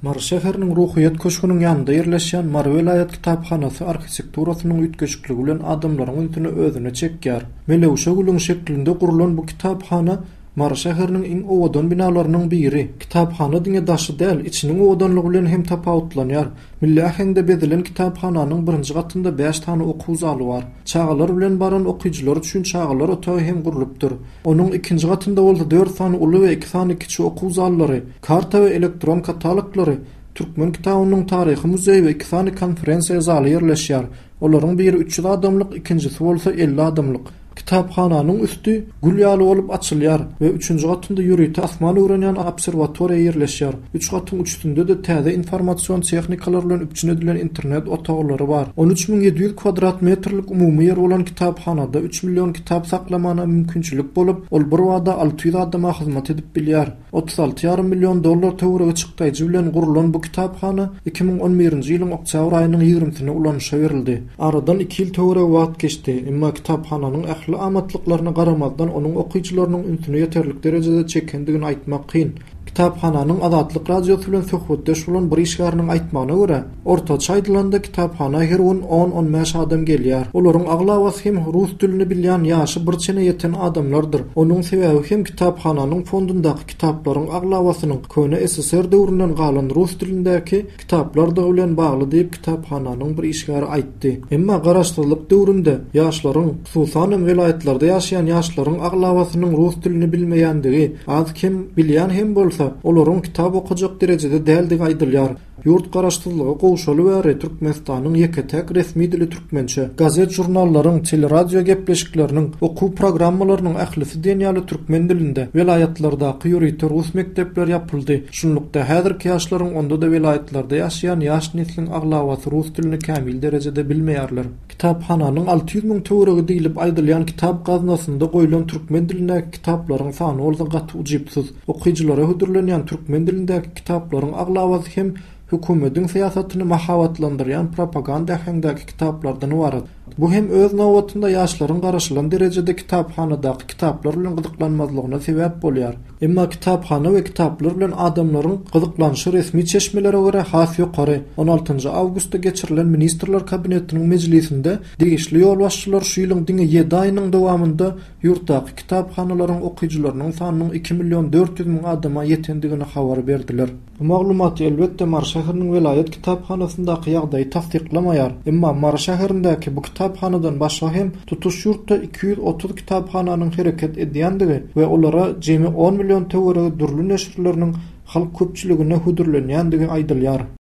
Mary şäheriniň Ruhyýet köşgüniň ýanynda ýerleşýän Mary welaýat kitaphanasy arhitekturasynyň üýtgeşikligi bilen adamlaryň ünsüni özüne çekýär. Melewşe gülüň şeklinde gurlan bu kitaphana Mary şäheriniň iň owadan binalarynyň biri. Kitaphana diňe daşy däl, içiniň owadanlygy bilen hem tapawutlanýar. Milli äheňde bezelen kitaphananyň birinji gatynda bäş sany okuw zaly bar. Çagalar bilen baran okyjylar üçin çagalar otagy hem gurlupdyr. Onuň ikinji gatynda bolsa dört sany uly we iki sany kiçi okuw zallary, karta we elektron kataloglary, türkmen kitabynyň taryhy muzeýi we iki sany konferensiýa zaly ýerleşýär. Olaryň biri 300 adamlyk, ikinjisi bolsa 50 adamlyk. Kitaphananyň üsti gül ýaly bolup açylýar we üçünji gatynda ýörite asman öwrenýän obserwatoriýa ýerleşýär. Üç gatyň üçüsinde-de täze informasion tehnikalar bilen üpjün edilen internet otaglary bar. 13 700 kwadrat metrlik umumy ýer bolan kitaphanada üç million kitap saklamana mümkinçilik bolup, ol birbada 600 adama hyzmat edip bilýär. 36 ýarym million dollar töweregi çykdaýjy bilen gurlan bu kitaphana 2011-nji ýylyň oktýabr aýynyň ýigrimsinde ulanyşa berildi. Aradan iki ýyl töweregi wagt geçdi, emma kitaphananyň ähli amatlyklaryna garamazdan onuň okyjylarynyň ünsüni ýeterlik derejede çekendigini aýtmak kyn. Kitaphananyň Azatlyk Radiosy bilen söhbetdeş bolan bir işgäriniň aýtmagyna görä, ortaça aýdylanda kitaphana her gün on-on bäş adam gelýär. Olaryň aglabasy hem rus dilini bilýän ýaşy bir çene ýeten adamlardyr. Onuň sebäbi hem kitaphananyň fondundaky kitaplaryň aglabasynyň köne SSR döwründen galan rus dilindäki kitaplardygy bilen bagly diýip, kitaphananyň bir işgäri aýtdy. Emma garaşsyzlyk döwründe ýaşlaryň, hususanam welaýatlarda ýaşaýan ýaşlaryň aglabasynyň rus dilini bilmeýändigi, az-kem bilýän hem bolsa, olaryň kitap okajak derejede däldigi aýdylýar. Ýurt garaşsyzlyga gowşaly bäri Türkmenistanyň ýeke-täk resmi dili türkmençe. Gazet-žurnallaryň, teleradio gepleşikleriniň, okuw programmalarynyň ählisi diýen ýaly türkmen dilinde. Welaýatlardaky ýörite rus mekdepleri ýapyldy. Şunlukda, häzirki ýaşlaryň, onda-da welaýatlarda ýaşaýan ýaş nesliň aglabasy rus dilini kämil derejede bilmeýärler. Kitaphananyň 600 müň töweregi diýlip aýdylýan kitap gaznasynda goýlan türkmen dilindäki kitaplaryň sany bolsa gaty ujypsyz. Okyjylara hödürlenýän türkmen dilindäki kitaplaryň aglabasy hem hökümediň syýasatyny mahabatlandyrýan propaganda äheňdäki kitaplardan ybarat. Bu hem öz nobatynda ýaşlaryň garaşylan derejede kitaphanadaky kitaplar bilen gyzyklanmazlygyna sebäp bolýar. Emma kitaphana we kitaplar bilen adamlaryň gyzyklanyşy resmi çeşmelere görä has ýokary. On altynjy awgustda geçirilen Ministrler Kabinetiniň mejlisinde degişli ýolbaşçylar şu ýylyň diňe ýedi aýynyň dowamynda ýurtdaky kitaphanalaryň okyjylarynyň sanynyň iki million 400 müň adama ýetendigini habar berdiler. Bu maglumat, elbetde, Mary şäheriniň welaýat kitaphanasyndaky ýagdaýy tassyklamaýar. Emma Mary şäherindäki bu kitaphanadan başga hem tutuş ýurtda 230 kitaphananyň hereket edýändigi we olara jemi on million töweregi dürli neşirleriniň halk köpçüligine hödürlenýändigi aýdylýar.